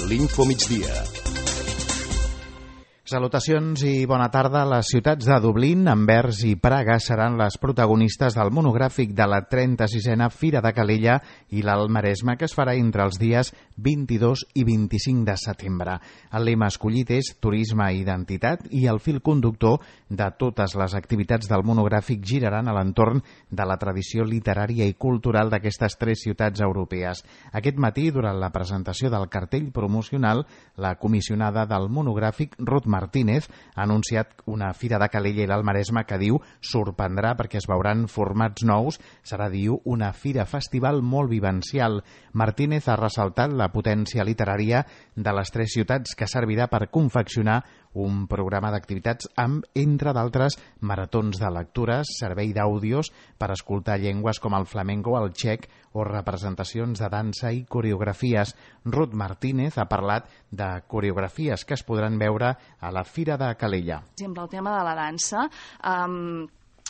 l'Infomigdia. Salutacions i bona tarda. Les ciutats de Dublín, Anvers i Praga seran les protagonistes del monogràfic de la 36a Fira de Calella i l'Alt Maresme, que es farà entre els dies 22 i 25 de setembre. El lema escollit és Turisme i Identitat i el fil conductor de totes les activitats del monogràfic giraran a l'entorn de la tradició literària i cultural d'aquestes tres ciutats europees. Aquest matí, durant la presentació del cartell promocional, la comissionada del monogràfic, Ruth Martínez, ha anunciat una Fira de Calella i l'Alt Maresme que diu sorprendrà perquè es veuran formats nous. Serà, diu, una fira festival molt vivencial. Martínez ha ressaltat la potència literària de les tres ciutats que servirà per confeccionar un programa d'activitats amb, entre d'altres, maratons de lectures, servei d'àudios per escoltar llengües com el flamenco, el txec o representacions de dansa i coreografies. Ruth Martínez ha parlat de coreografies que es podran veure a la Fira de Calella. Per exemple, el tema de la dansa,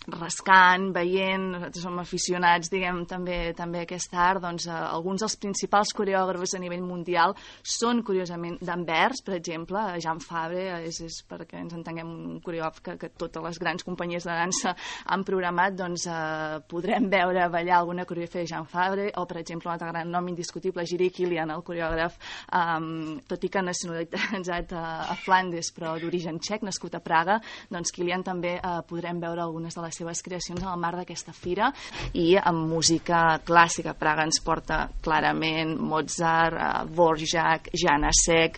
rascant, veient, nosaltres som aficionats, diguem, també a aquest art, doncs alguns dels principals coreògrafs a nivell mundial són, curiosament, d'Anvers, per exemple. Jean Fabre és perquè ens entenguem, un coreògraf que totes les grans companyies de dansa han programat, doncs podrem veure ballar alguna coreografia de Jean Fabre, o, per exemple, un altre gran nom indiscutible, Jiří Kylián, el coreògraf, tot i que nacionalitzat a Flandes, però d'origen txec, nascut a Praga, doncs Kylián també podrem veure algunes de les seves creacions en el marc d'aquesta fira. I amb música clàssica, Praga ens porta clarament Mozart, Dvořák, Janacek,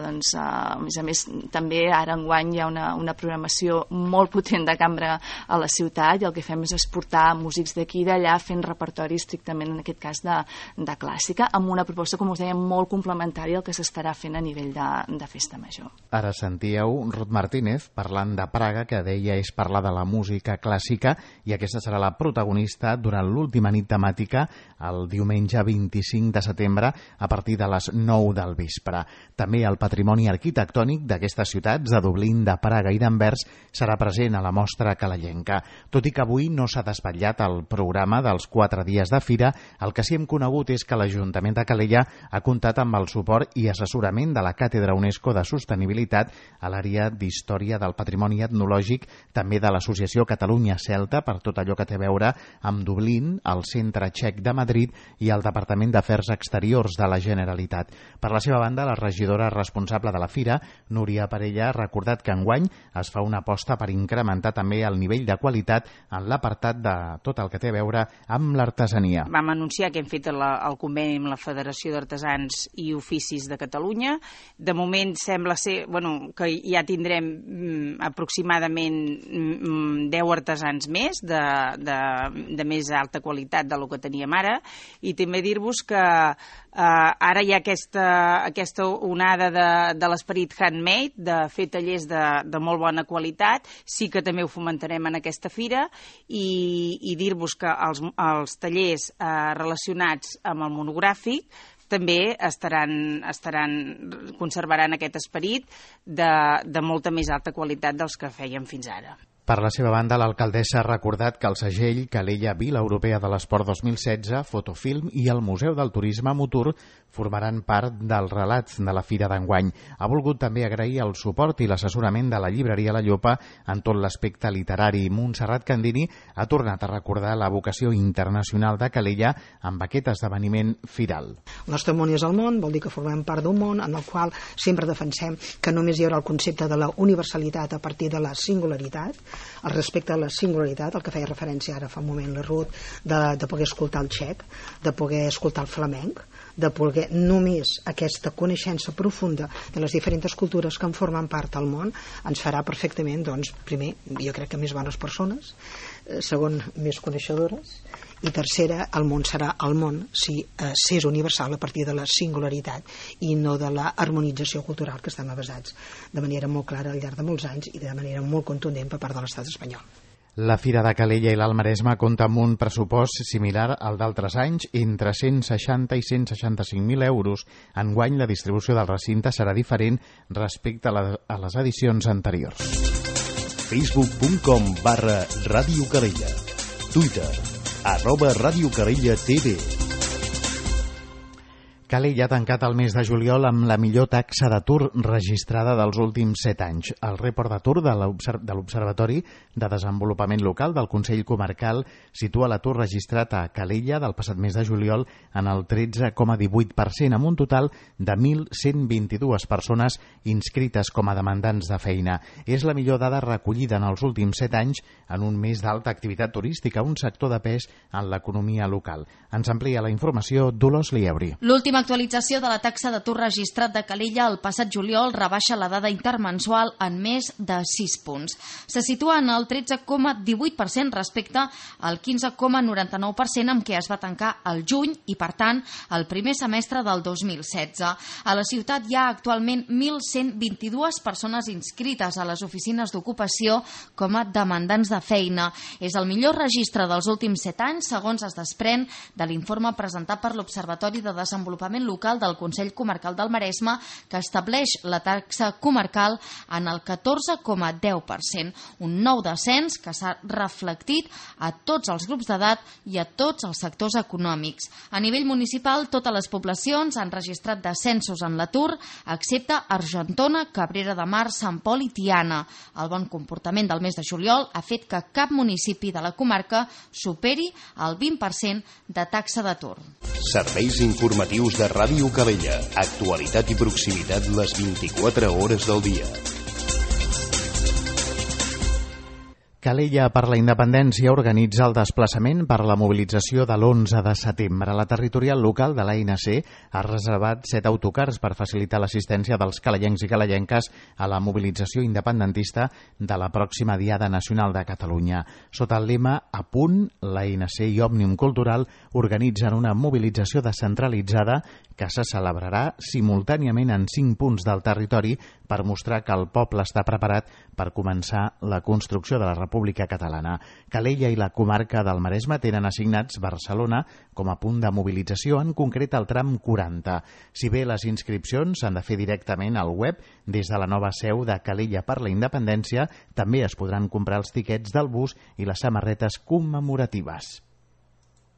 doncs a més també ara enguany hi ha una programació molt potent de cambra a la ciutat, i el que fem és exportar músics d'aquí i d'allà fent repertori estrictament, en aquest cas, de clàssica, amb una proposta, com us deia, molt complementària al que s'estarà fent a nivell de festa major. Ara sentíeu Ruth Martínez parlant de Praga, que deia és parlar de la música clàssica, i aquesta serà la protagonista durant l'última nit temàtica el diumenge 25 de setembre a partir de les 9 del vespre. També el patrimoni arquitectònic d'aquestes ciutats, de Dublín, de Praga i d'Anvers, serà present a la mostra calellenca. Tot i que avui no s'ha desvetllat el programa dels 4 dies de fira, el que sí hem conegut és que l'Ajuntament de Calella ha comptat amb el suport i assessorament de la Càtedra UNESCO de Sostenibilitat a l'àrea d'Història del Patrimoni Etnològic, també de l'Associació Catalunya Celta, per tot allò que té a veure amb Dublín, el Centre Txec de Madrid i el Departament d'Afers Exteriors de la Generalitat. Per la seva banda, la regidora responsable de la fira, Núria Parella, ha recordat que enguany es fa una aposta per incrementar també el nivell de qualitat en l'apartat de tot el que té a veure amb l'artesania. Vam anunciar que hem fet el conveni amb la Federació d'Artesans i Oficis de Catalunya. De moment sembla ser que ja tindrem aproximadament 10 artesans més de més alta qualitat del que teníem ara, i també dir-vos que ara hi ha aquesta onada de l'esperit handmade, de fer tallers de molt bona qualitat. Sí que també ho fomentarem en aquesta fira, i dir-vos que els tallers relacionats amb el monogràfic també conservaran aquest esperit de molta més alta qualitat dels que fèiem fins ara. Per la seva banda, l'alcaldessa ha recordat que el segell Calella Vila Europea de l'Esport 2016, Fotofilm i el Museu del Turisme Motor formaran part del relat de la fira d'enguany. Ha volgut també agrair el suport i l'assessorament de la llibreria La Llopa en tot l'aspecte literari. Montserrat Candini ha tornat a recordar la vocació internacional de Calella amb aquest esdeveniment firal. El nostre món és el món, vol dir que formem part d'un món en el qual sempre defensem que només hi haurà el concepte de la universalitat a partir de la singularitat, el respecte a la singularitat, el que feia referència ara fa un moment la Ruth, de poder escoltar el txec, de poder escoltar el flamenc, de poder només aquesta coneixença profunda de les diferents cultures que en formen part del món ens farà perfectament, doncs, primer, jo crec que més bones persones, segon, més coneixedores, i tercera, el món serà el món si s'és universal a partir de la singularitat i no de la harmonització cultural que estem basats de manera molt clara al llarg de molts anys i de manera molt contundent per part de l'estat espanyol. La Fira de Calella i l'Alt Maresme compta amb un pressupost similar al d'altres anys, entre 160 i 165.000 euros. Enguany, la distribució del recinte serà diferent respecte a les edicions anteriors. Facebook.com/Ràdio Calella. Twitter @Ràdio Calella TV. Calella ha tancat el mes de juliol amb la millor taxa d'atur registrada dels últims 7 anys. El report d'atur de l'Observatori de Desenvolupament Local del Consell Comarcal situa l'atur registrat a Calella del passat mes de juliol en el 13,18%, amb un total de 1.122 persones inscrites com a demandants de feina. És la millor dada recollida en els últims 7 anys en un mes d'alta activitat turística, un sector de pes en l'economia local. Ens amplia la informació Dolors Lieuri. L'última actualització de la taxa d'atur registrat de Calella el passat juliol rebaixa la dada intermensual en més de 6 punts. Se situa en el 13,18% respecte al 15,99% amb què es va tancar el juny i, per tant, el primer semestre del 2016. A la ciutat hi ha actualment 1.122 persones inscrites a les oficines d'ocupació com a demandants de feina. És el millor registre dels últims 7 anys, segons es desprèn de l'informe presentat per l'Observatori de Desenvolupament Local del Consell Comarcal del Maresme, que estableix la taxa comarcal en el 14,10%, un nou descens que s'ha reflectit a tots els grups d'edat i a tots els sectors econòmics. A nivell municipal, totes les poblacions han registrat descensos en l'atur, excepte Argentona, Cabrera de Mar, Sant Pol i Tiana. El bon comportament del mes de juliol ha fet que cap municipi de la comarca superi el 20% de taxa d'atur. Serveis informatius de Ràdio Calella. Actualitat i proximitat les 24 hores del dia. Calella per la Independència organitza el desplaçament per la mobilització de l'11 de setembre. La territorial local de l'ANC ha reservat 7 autocars per facilitar l'assistència dels calellencs i calellenques a la mobilització independentista de la pròxima Diada Nacional de Catalunya. Sota el lema A punt, l'ANC i Òmnium Cultural organitzen una mobilització descentralitzada que se celebrarà simultàniament en 5 punts del territori per mostrar que el poble està preparat per començar la construcció de la República Catalana. Calella i la comarca del Maresme tenen assignats Barcelona com a punt de mobilització, en concret el tram 40. Si bé les inscripcions s'han de fer directament al web, des de la nova seu de Calella per la Independència també es podran comprar els tiquets del bus i les samarretes commemoratives.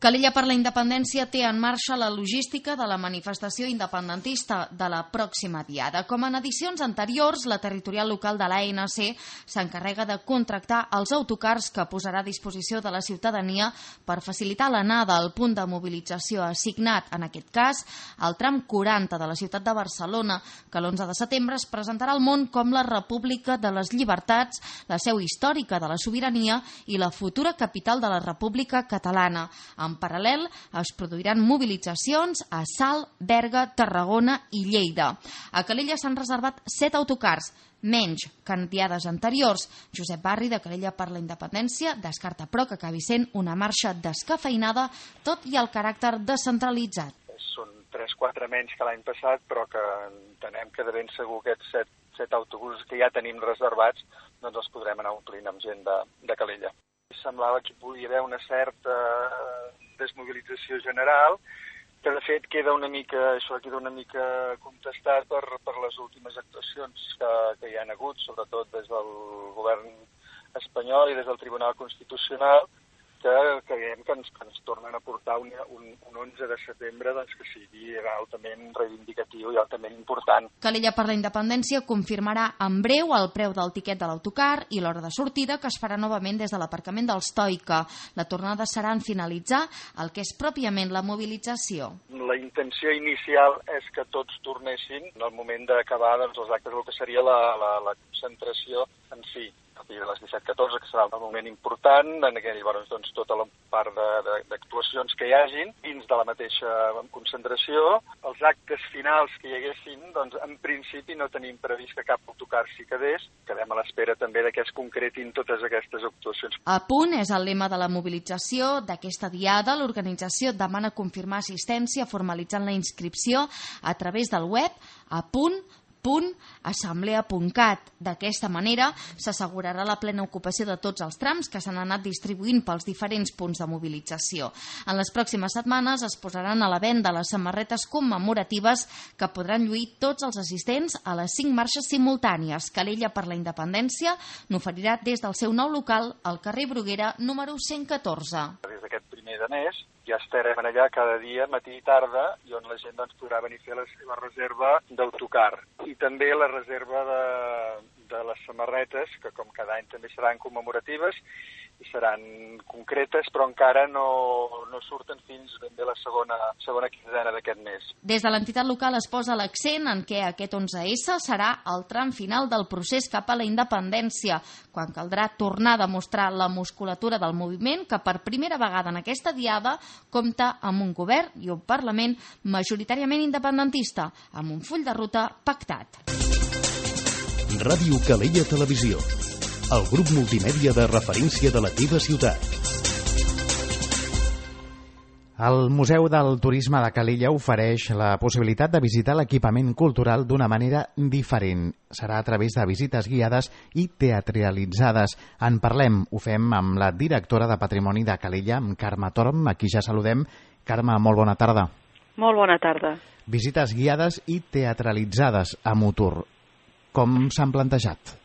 Calella per la Independència té en marxa la logística de la manifestació independentista de la pròxima Diada. Com en edicions anteriors, la territorial local de l'ANC s'encarrega de contractar els autocars que posarà a disposició de la ciutadania per facilitar l'anada al punt de mobilització assignat, en aquest cas, al tram 40 de la ciutat de Barcelona, que l'11 de setembre es presentarà al món com la República de les Llibertats, la seu històrica de la sobirania i la futura capital de la República Catalana. En paral·lel, es produiran mobilitzacions a Salt, Berga, Tarragona i Lleida. A Calella s'han reservat 7 autocars, menys que en diades anteriors. Josep Barri, de Calella per la Independència, descarta però que acabi sent una marxa descafeinada, tot i el caràcter descentralitzat. Són 3-4 menys que l'any passat, però que entenem que de ben segur aquests 7 autobusos que ja tenim reservats doncs els podrem anar omplint amb gent de Calella. Semblava que hi podia haver una certa desmobilització general, que de fet queda una mica contestat per les últimes actuacions que hi ha hagut, sobretot des del govern espanyol i des del Tribunal Constitucional, que creiem que ens tornen a portar un 11 de setembre doncs, que sigui altament reivindicatiu i altament important. Calella per la Independència confirmarà en breu el preu del tiquet de l'autocar i l'hora de sortida, que es farà novament des de l'aparcament del Stoica. La tornada serà en finalitzar el que és pròpiament la mobilització. La intenció inicial és que tots tornessin en el moment d'acabar els actes, el que seria la concentració en si. A partir de les 17:14, que serà el moment important, en aquell, doncs, tota la part d'actuacions que hi hagin dins de la mateixa concentració. Els actes finals que hi haguessin, doncs, en principi no tenim previst que cap autocar s'hi quedés. Quedem a l'espera també de que es concretin totes aquestes actuacions. A punt és el lema de la mobilització d'aquesta diada. L'organització demana confirmar assistència formalitzant la inscripció a través del web a.assemblea.cat. D'aquesta manera s'assegurarà la plena ocupació de tots els trams que s'han anat distribuint pels diferents punts de mobilització. En les pròximes setmanes es posaran a la venda les samarretes commemoratives que podran lluir tots els assistents a les 5 marxes simultànies. Calella per la Independència n'oferirà des del seu nou local al carrer Bruguera número 114. Des d'aquest primer mes a mes. Ja estarem allà cada dia, matí i tarda, i on la gent doncs, podrà venir a fer la seva reserva d'autocar. I també la reserva de les samarretes, que com cada any també seran commemoratives i seran concretes, però encara no surten fins ben bé la segona quinzena d'aquest mes. Des de l'entitat local es posa l'accent en què aquest 11S serà el tram final del procés cap a la independència, quan caldrà tornar a demostrar la musculatura del moviment que per primera vegada en aquesta diada compta amb un govern i un Parlament majoritàriament independentista, amb un full de ruta pactat. Ràdio Calella Televisió, el grup multimèdia de referència de la teva ciutat. El Museu del Turisme de Calella ofereix la possibilitat de visitar l'equipament cultural d'una manera diferent. Serà a través de visites guiades i teatralitzades. En parlem, ho fem amb la directora de Patrimoni de Calella, amb Carme Torm, a qui ja saludem. Carme, molt bona tarda. Molt bona tarda. Visites guiades i teatralitzades a Mutur. Com s'han plantejat?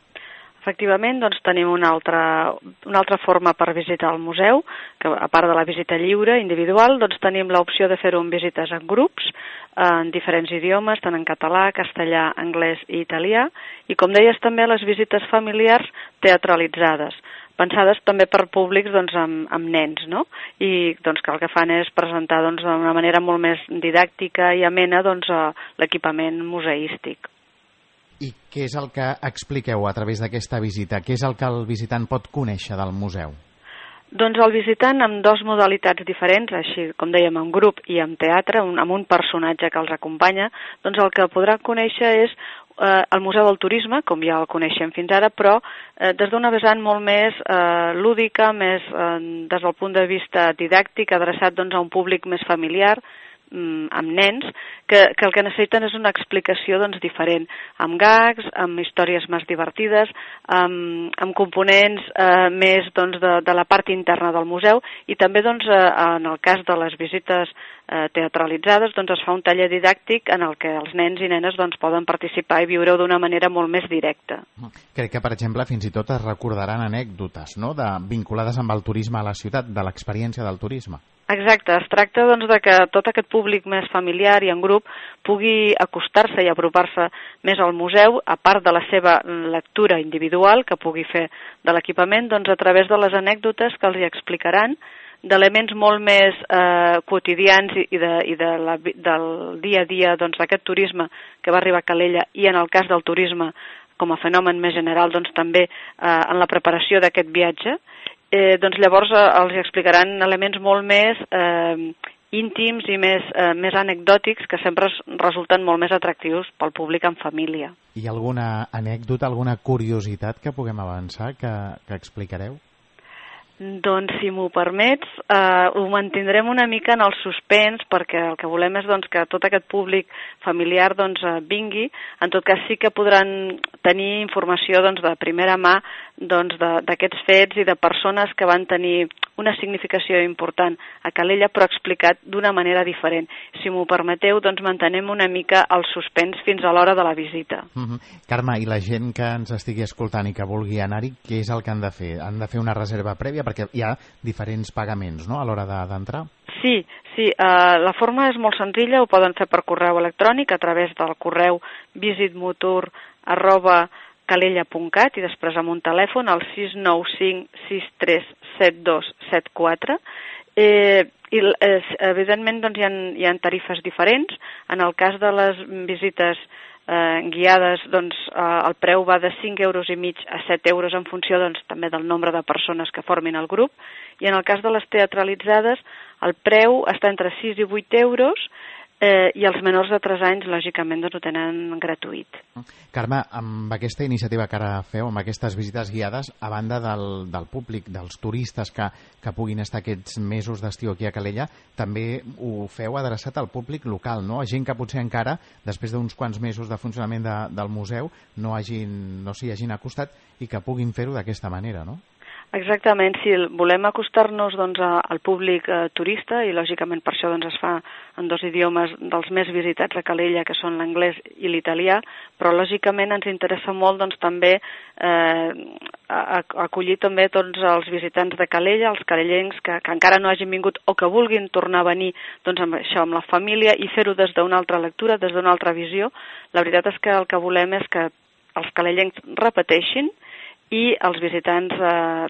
Efectivament, doncs, tenim una altra forma per visitar el museu, que a part de la visita lliure, individual, doncs tenim l'opció de fer-ho en visites en grups, en diferents idiomes, tant en català, castellà, anglès i italià, i com deies també les visites familiars teatralitzades, pensades també per públics doncs, amb nens, no? I doncs, que el que fan és presentar doncs, d'una manera molt més didàctica i amena doncs, l'equipament museístic. I què és el que expliqueu a través d'aquesta visita? Què és el que el visitant pot conèixer del museu? Doncs el visitant amb dues modalitats diferents, així com dèiem, en grup i en teatre, amb un personatge que els acompanya, doncs el que podrà conèixer és el Museu del Turisme, com ja el coneixem fins ara, però des d'una vessant molt més lúdica, més des del punt de vista didàctic, adreçat doncs, a un públic més familiar, amb nens, que el que necessiten és una explicació doncs, diferent, amb gags, amb històries més divertides, amb components més doncs, de la part interna del museu, i també doncs, en el cas de les visites teatralitzades doncs, es fa un taller didàctic en el que els nens i nenes doncs, poden participar i viure-ho d'una manera molt més directa. Crec que, per exemple, fins i tot es recordaran anècdotes, no?, vinculades amb el turisme a la ciutat, de l'experiència del turisme. Exacte, es tracta doncs, de que tot aquest públic més familiar i en grup pugui acostar-se i apropar-se més al museu, a part de la seva lectura individual que pugui fer de l'equipament, doncs, a través de les anècdotes que els hi explicaran, d'elements molt més quotidians i del dia a dia doncs, d'aquest turisme que va arribar a Calella, i en el cas del turisme com a fenomen més general doncs, també en la preparació d'aquest viatge. Doncs llavors els explicaran elements molt més íntims i més anecdòtics que sempre resulten molt més atractius pel públic en família. Hi ha alguna anècdota, alguna curiositat que puguem avançar, que explicareu? Doncs, si m'ho permets, ho mantindrem una mica en el suspens, perquè el que volem és doncs, que tot aquest públic familiar doncs, vingui. En tot cas, sí que podran tenir informació doncs, de primera mà doncs, d'aquests fets i de persones que van tenir una significació important a Calella, però explicat d'una manera diferent. Si m'ho permeteu, doncs mantenem una mica el suspens fins a l'hora de la visita. Carme, i la gent que ens estigui escoltant i que vulgui anar-hi, què és el que han de fer? Han de fer una reserva prèvia? Perquè hi ha diferents pagaments, no?, a l'hora d'entrar? Sí, la forma és molt senzilla, ho poden fer per correu electrònic a través del correu visitmutur@calella.cat i després amb un telèfon al 695637274. Evidentment doncs, hi ha tarifes diferents. En el cas de les visites guiades, doncs, el preu va de 5,5 euros a 7 euros en funció doncs, també del nombre de persones que formin el grup, i en el cas de les teatralitzades el preu està entre 6 i 8 euros i els menors de 3 anys, lògicament, doncs, ho tenen gratuït. Carme, amb aquesta iniciativa que ara feu, amb aquestes visites guiades, a banda del públic, dels turistes que puguin estar aquests mesos d'estiu aquí a Calella, també ho feu adreçat al públic local, no? A gent que potser encara, després d'uns quants mesos de funcionament del museu, no s'hi hagin acostat i que puguin fer-ho d'aquesta manera, no? Exactament, sí, volem acostar-nos doncs, al públic turista i lògicament per això doncs, es fa en 2 idiomes dels més visitats a Calella, que són l'anglès i l'italià, però lògicament ens interessa molt doncs, també acollir també tots els visitants de Calella, els calellencs que encara no hagin vingut o que vulguin tornar a venir doncs, amb això, amb la família, i fer-ho des d'una altra lectura, des d'una altra visió. La veritat és que el que volem és que els calellencs repeteixin i els visitants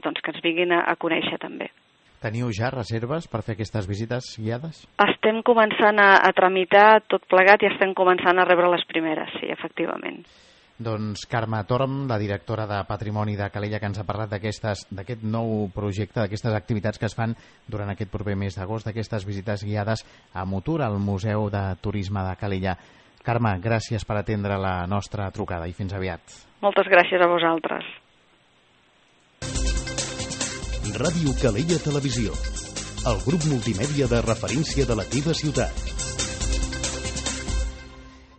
doncs, que ens vinguin a conèixer també. Teniu ja reserves per fer aquestes visites guiades? Estem començant a tramitar tot plegat i estem començant a rebre les primeres, sí, efectivament. Doncs Carme Torm, la directora de Patrimoni de Calella, que ens ha parlat d'aquest nou projecte, d'aquestes activitats que es fan durant aquest proper mes d'agost, d'aquestes visites guiades a Mutur, al Museu de Turisme de Calella. Carme, gràcies per atendre la nostra trucada i fins aviat. Moltes gràcies a vosaltres. Ràdio Calella Televisió, el grup multimèdia de referència de la teva ciutat.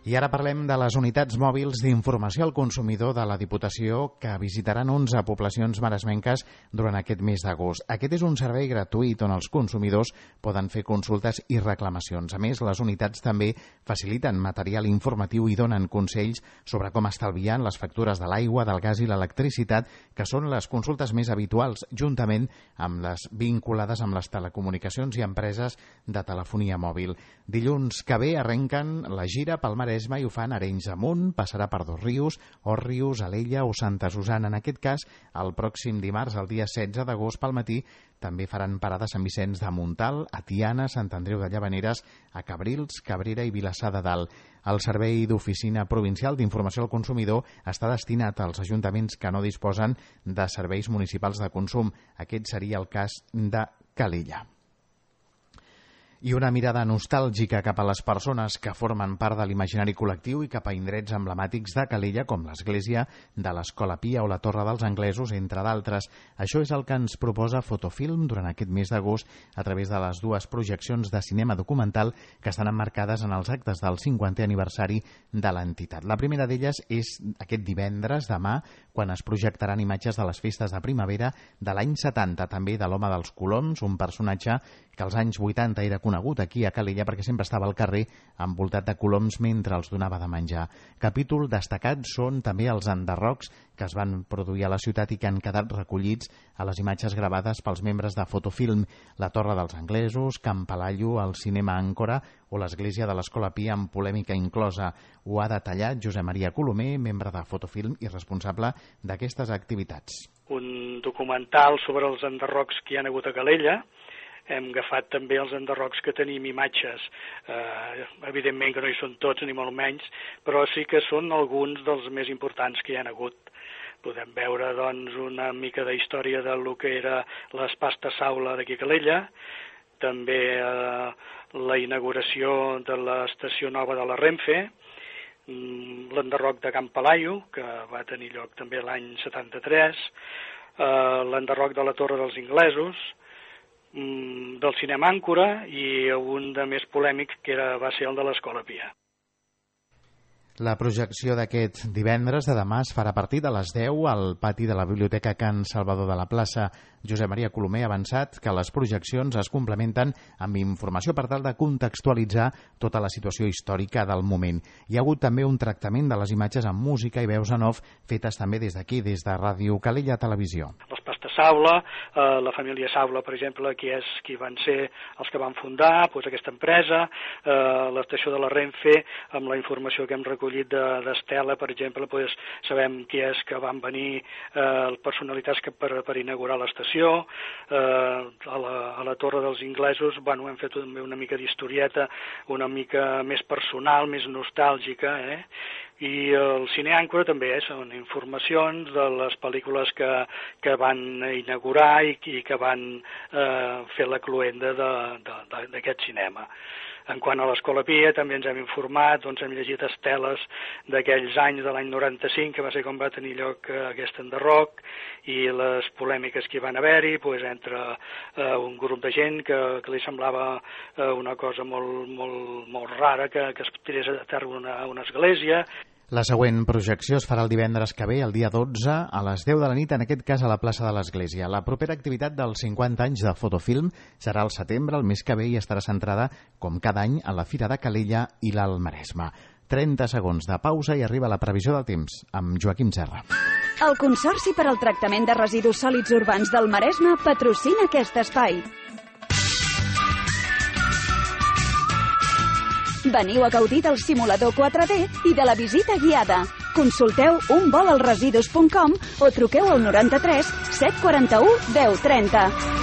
I ara parlem de les unitats mòbils d'informació al consumidor de la Diputació que visitaran 11 poblacions maresmenques durant aquest mes d'agost. Aquest és un servei gratuït on els consumidors poden fer consultes i reclamacions. A més, les unitats també faciliten material informatiu i donen consells sobre com estalviar les factures de l'aigua, del gas i l'electricitat, que són les consultes més habituals, juntament amb les vinculades amb les telecomunicacions i empreses de telefonia mòbil. Dilluns que ve arrenquen la gira pel Maresme i ho fan Arenys amunt, passarà per Dosrius, Òrrius, Alella o Santa Susana. En aquest cas, el pròxim dimarts, el dia 16 d'agost, pel matí, també faran parada a Sant Vicenç de Montal, a Tiana, Sant Andreu de Llavaneres, a Cabrils, Cabrera i Vilassar de Dalt. El Servei d'Oficina Provincial d'Informació al Consumidor està destinat als ajuntaments que no disposen de serveis municipals de consum. Aquest seria el cas de Calella. I una mirada nostàlgica cap a les persones que formen part de l'imaginari col·lectiu i cap a indrets emblemàtics de Calella, com l'església de l'Escola Pia o la Torre dels Anglesos, entre d'altres. Això és el que ens proposa Fotofilm durant aquest mes d'agost a través de les dues projeccions de cinema documental que estan emmarcades en els actes del 50è aniversari de l'entitat. La primera d'elles és aquest divendres, demà, quan es projectaran imatges de les festes de primavera de l'any 70, també de l'Home dels Coloms, un personatge que als anys 80 era conegut aquí a Calella perquè sempre estava al carrer envoltat de coloms mentre els donava de menjar. Capítol destacat són també els enderrocs que es van produir a la ciutat i que han quedat recollits a les imatges gravades pels membres de Fotofilm, la Torre dels Anglesos, Can Palallo, el cinema Àncora o l'església de l'Escola Pia amb polèmica inclosa. Ho ha detallat Josep Maria Colomer, membre de Fotofilm i responsable d'aquestes activitats. Un documental sobre els enderrocs que hi ha hagut a Calella. Hem agafat també els enderrocs que tenim imatges, evidentment que no hi són tots ni molt menys, però sí que són alguns dels més importants que hi ha hagut. Podem veure doncs, una mica de història del que era l'Espasta Saula d'aquí a Calella, també la inauguració de l'estació nova de la Renfe, l'enderroc de Can Palallo, que va tenir lloc també l'any 73, l'enderroc de la Torre dels Inglesos, del cinema Àncora i un de més polèmic que va ser el de l'Escola Pia. La projecció d'aquest divendres de demà es farà a partir de les 10 al pati de la Biblioteca Can Salvador de la Plaça. Josep Maria Colomer ha avançat que les projeccions es complementen amb informació per tal de contextualitzar tota la situació històrica del moment. Hi ha hagut també un tractament de les imatges amb música i veus en off fetes també des d'aquí, des de Ràdio Calella Televisió. L'Espasta Saula, la família Saula, per exemple, qui van ser els que van fundar aquesta empresa, l'estació de la Renfe, amb la informació que hem recollit d'Estela, per exemple, sabem qui és que van venir personalitats per inaugurar l'estació. A la Torre dels Inglesos hem fet també una mica d'historieta, una mica més personal, més nostàlgica, i el cine Àncora també són informacions de les pel·lícules que van inaugurar i que van fer la cloenda d'aquest cinema. En quant a l'Escola Pia, també ens hem informat, hem llegit esteles d'aquells anys de l'any 95, que va ser quan va tenir lloc aquest enderroc, i les polèmiques que hi van haver-hi entre un grup de gent que li semblava una cosa molt rara que es tirés a terra una església. La següent projecció es farà el divendres que ve, el dia 12, a les 10 de la nit, en aquest cas a la plaça de l'Església. La propera activitat dels 50 anys de Fotofilm serà al setembre, el mes que ve, i estarà centrada, com cada any, a la Fira de Calella i l'Alt Maresme. 30 segons de pausa i arriba la previsió del temps amb Joaquim Serra. El Consorci per al Tractament de Residus Sòlids Urbans del Maresme patrocina aquest espai. Veniu a gaudir del simulador 4D i de la visita guiada. Consulteu unvolalresidus.com o truqueu al 93 741 1030.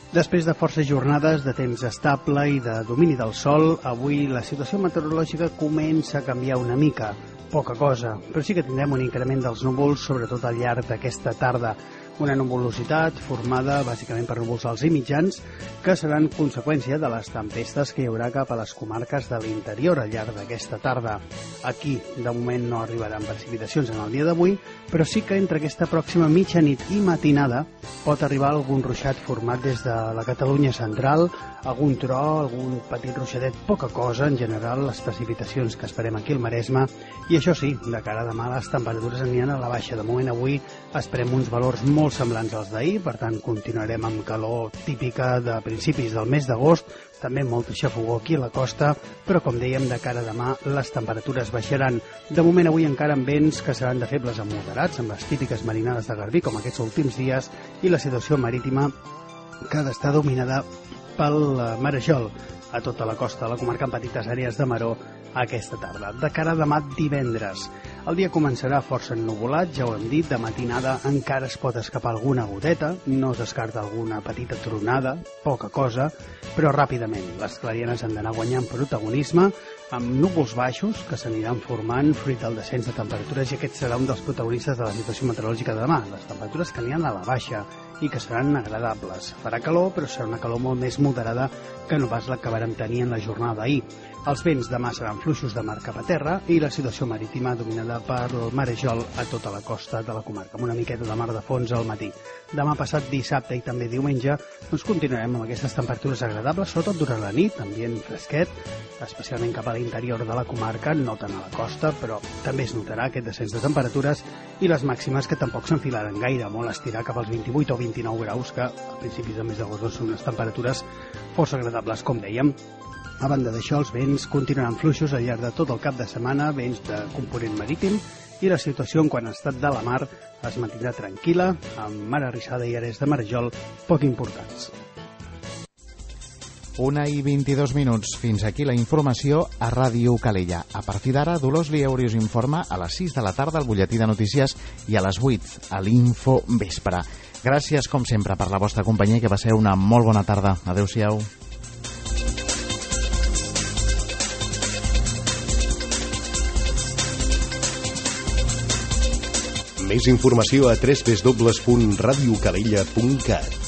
Després de forces jornades de temps estable i de domini del sol, avui la situació meteorològica comença a canviar una mica. Poca cosa, però sí que tindrem un increment dels núvols, sobretot al llarg d'aquesta tarda. Una nuvolositat formada bàsicament per núvols alts i mitjans que seran conseqüència de les tempestes que hi haurà cap a les comarques de l'interior al llarg d'aquesta tarda. Aquí, de moment, no arribaran precipitacions en el dia d'avui, però sí que entre aquesta pròxima mitjanit i matinada pot arribar algun ruixat format des de la Catalunya central, algun tro, algun petit ruixadet, poca cosa, en general, les precipitacions que esperem aquí al Maresme, i això sí, de cara a demà les temperatures aniran a la baixa. De moment avui esperem uns valors molt semblants als d'ahir, per tant continuarem amb calor típica de principis del mes d'agost, també molta xafogor aquí a la costa, però com dèiem, de cara a demà les temperatures baixaran. De moment avui encara amb vents que seran de febles a moderats, amb les típiques marinades de garbí com aquests últims dies, i la situació marítima que ha d'estar dominada pel marejol a tota la costa de la comarca en petites àrees de maró aquesta tarda. De cara a demà divendres, el dia començarà força ennuvolat, ja ho hem dit, de matinada encara es pot escapar alguna goteta, no es descarta alguna petita tronada, poca cosa, però ràpidament les clarianes han d'anar guanyant protagonisme, amb núvols baixos que s'aniran formant fruit del descens de temperatures, i aquest serà un dels protagonistes de la situació meteorològica de demà, les temperatures que aniran a la baixa i que seran agradables. Farà calor, però serà una calor molt més moderada que no pas la que vàrem tenir en la jornada d'ahir. Els vents demà seran fluixos de mar cap a terra i la situació marítima dominada per el marejol a tota la costa de la comarca, amb una miqueta de mar de fons al matí. Demà passat dissabte i també diumenge doncs continuarem amb aquestes temperatures agradables, sobretot durant la nit, ambient fresquet, especialment cap a l'interior de la comarca, no tant a la costa, però també es notarà aquest descens de temperatures, i les màximes que tampoc s'enfilaran gaire, molt estirar cap als 28 o 29 graus, que a principis del mes d'agost són unes temperatures força agradables, com dèiem. A banda d'això, els vents continuaran fluixos al llarg de tot el cap de setmana, vents de component marítim, i la situació en quant a estat de la mar es mantindrà tranquil·la, amb mar arrissada i àrees de marejol poc importants. 1:22. Fins aquí la informació a Ràdio Calella. A partir d'ara, Dolors Lieuri us informa a les 6 de la tarda al butlletí de notícies i a les 8 a l'Info Vespre. Gràcies, com sempre, per la vostra companyia i que passeu una molt bona tarda. Adéu-siau. Més informació a www.radiocalella.cat.